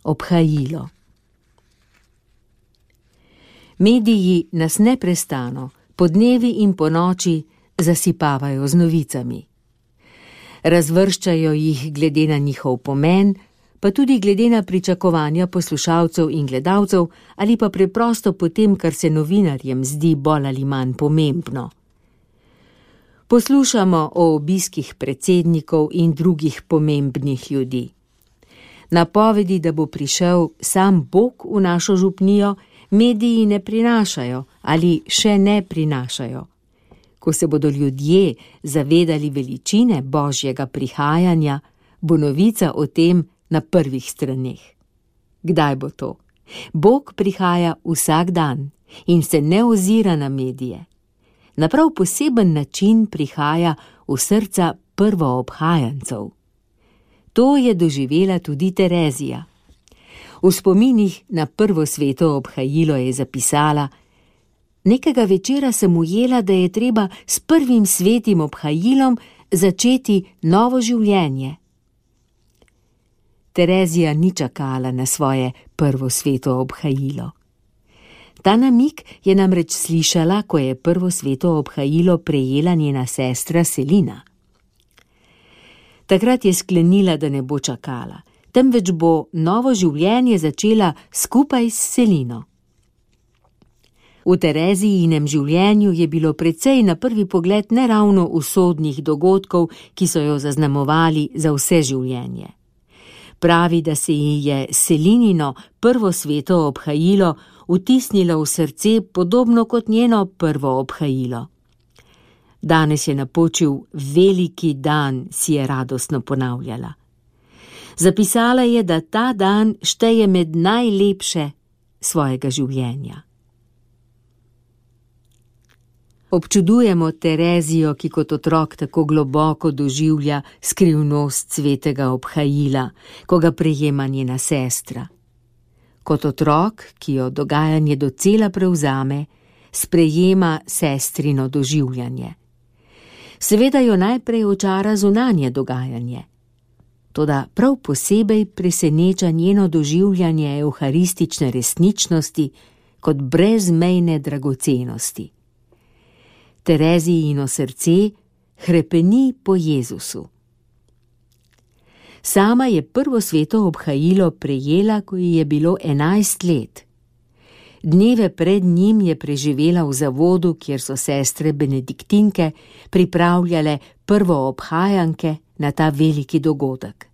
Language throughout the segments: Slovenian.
obhajilo. Mediji nas neprestano, podnevi in ponoči, zasipavajo z novicami. Razvrščajo jih glede na njihov pomen, pa tudi glede na pričakovanja poslušalcev in gledalcev ali pa preprosto po tem, kar se novinarjem zdi bolj ali manj pomembno. Poslušamo o obiskih predsednikov in drugih pomembnih ljudi. Napovedi, da bo prišel sam Bog v našo župnijo, mediji ne prinašajo ali še ne prinašajo. Ko se bodo ljudje zavedali veličine Božjega prihajanja, bo novica o tem na prvih straneh. Kdaj bo to? Bog prihaja vsak dan in se ne ozira na medije. Na prav poseben način prihaja v srca prvoobhajancev. To je doživela tudi Terezija. V spominih na prvo sveto obhajilo je zapisala: nekega večera sem ujela, da je treba s prvim svetim obhajilom začeti novo življenje. Terezija ni čakala na svoje prvo sveto obhajilo. Ta namig je namreč slišala, ko je prvo sveto obhajilo prejela njena sestra Selina. Takrat je sklenila, da ne bo čakala, temveč bo novo življenje začela skupaj s Selino. V Terezijinem življenju je bilo precej na prvi pogled neravno usodnih dogodkov, ki so jo zaznamovali za vse življenje. Pravi, da se ji je Selinino prvo sveto obhajilo vtisnilo v srce podobno kot njeno prvo obhajilo. Danes je napočil veliki dan, si je radostno ponavljala. Zapisala je, da ta dan šteje med najlepše svojega življenja. Občudujemo Terezijo, ki kot otrok tako globoko doživlja skrivnost svetega obhajila, ko ga prejema njena sestra. Kot otrok, ki jo dogajanje docela prevzame, sprejema sestrino doživljanje. Seveda jo najprej očara zunanje dogajanje. Toda prav posebej preseneča njeno doživljanje evharistične resničnosti kot brezmejne dragocenosti. Terezijino srce hrepeni po Jezusu. Sama je prvo sveto obhajilo prejela, ko ji je bilo 11 let. Dneve pred njim je preživela v zavodu, kjer so sestre benediktinke pripravljale prvo obhajanke na ta veliki dogodek.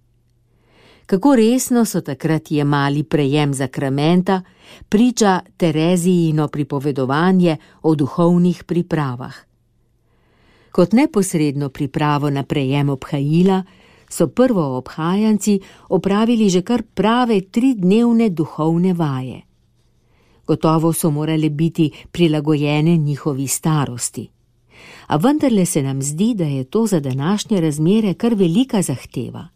Kako resno so takrat jemali prejem zakramenta, priča Terezijino pripovedovanje o duhovnih pripravah. Kot neposredno pripravo na prejem obhajila so prvo obhajanci opravili že kar prave 3-dnevne duhovne vaje. Gotovo so morale biti prilagojene njihovi starosti. A vendarle se nam zdi, da je to za današnje razmere kar velika zahteva.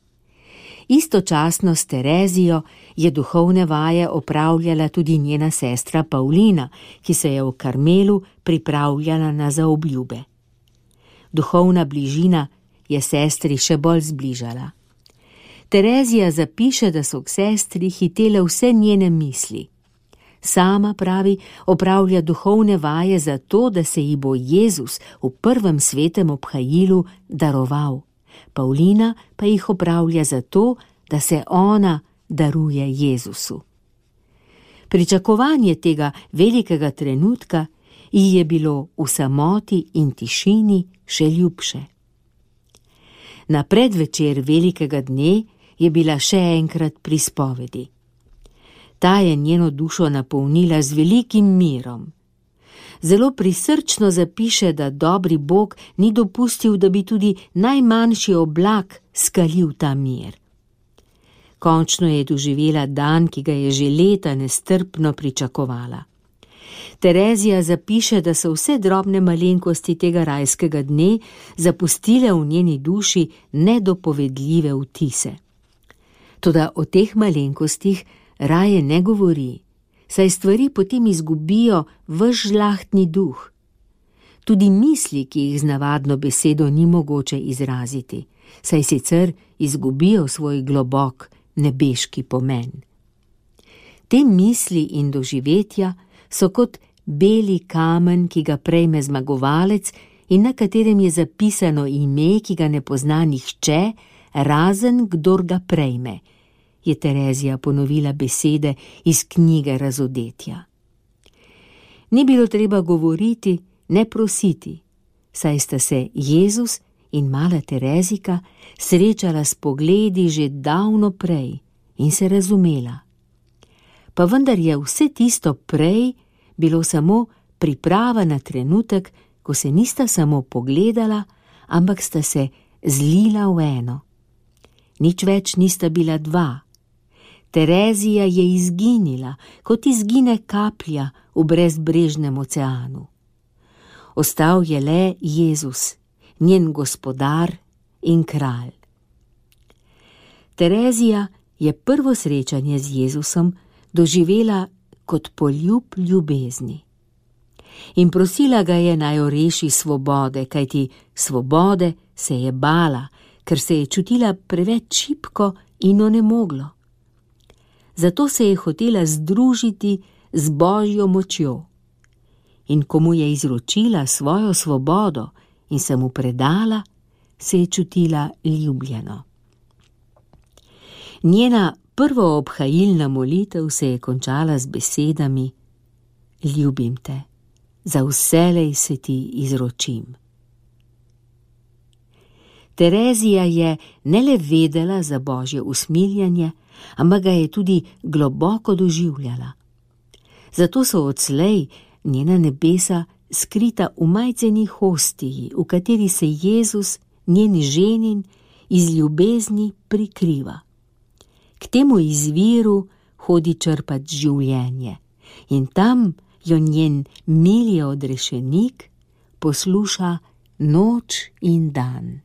Istočasno s Terezijo je duhovne vaje opravljala tudi njena sestra Pavlina, ki se je v Karmelu pripravljala na zaobljube. Duhovna bližina je sestri še bolj zbližala. Terezija zapiše, da so k sestri hitele vse njene misli. Sama, pravi, opravlja duhovne vaje zato, da se ji bo Jezus v prvem svetem obhajilu daroval. Pavlina pa jih opravlja zato, da se ona daruje Jezusu. Pričakovanje tega velikega trenutka ji je bilo v samoti in tišini še ljubše. Na predvečer velikega dne je bila še enkrat pri spovedi. Ta je njeno dušo napolnila z velikim mirom. Zelo prisrčno zapiše, da dobri Bog ni dopustil, da bi tudi najmanjši oblak skalil ta mir. Končno je doživela dan, ki ga je že leta nestrpno pričakovala. Terezija zapiše, da so vse drobne malenkosti tega rajskega dne zapustile v njeni duši nedopovedljive vtise. Toda o teh malenkostih raje ne govori, saj stvari potem izgubijo ves žlahtni duh. Tudi misli, ki jih z navadno besedo ni mogoče izraziti, saj sicer izgubijo svoj globok nebeški pomen. Te misli in doživetja so kot beli kamen, ki ga prejme zmagovalec in na katerem je zapisano ime, ki ga ne pozna nihče, razen kdor ga prejme, je Terezija ponovila besede iz knjige Razodetja. Ni bilo treba govoriti, ne prositi, saj sta se Jezus in mala Terezika srečala s pogledi že davno prej in se razumela. Pa vendar je vse tisto prej bilo samo priprava na trenutek, ko se nista samo pogledala, ampak sta se zlila v eno. Nič več nista bila dva. Terezija je izginila, kot izgine kaplja v brezbrežnem oceanu. Ostal je le Jezus, njen gospodar in kralj. Terezija je prvo srečanje z Jezusom doživela kot poljub ljubezni. In prosila ga je, naj jo reši svobode, kajti svobode se je bala, ker se je čutila preveč šibko in onemoglo. Zato se je hotela združiti z Božjo močjo. In ko mu je izročila svojo svobodo in se mu predala, se je čutila ljubljeno. Njena prvoobhajilna molitev se je končala z besedami: Ljubim te, za vselej se ti izročim. Terezija je ne le vedela za Božje usmiljenje, ampak ga je tudi globoko doživljala. Zato so odslej njena nebesa skrita v majceni hostiji, v kateri se Jezus, njen ženin, iz ljubezni prikriva. K temu izviru hodi črpat življenje in tam jo njen mili odrešenik posluša noč in dan.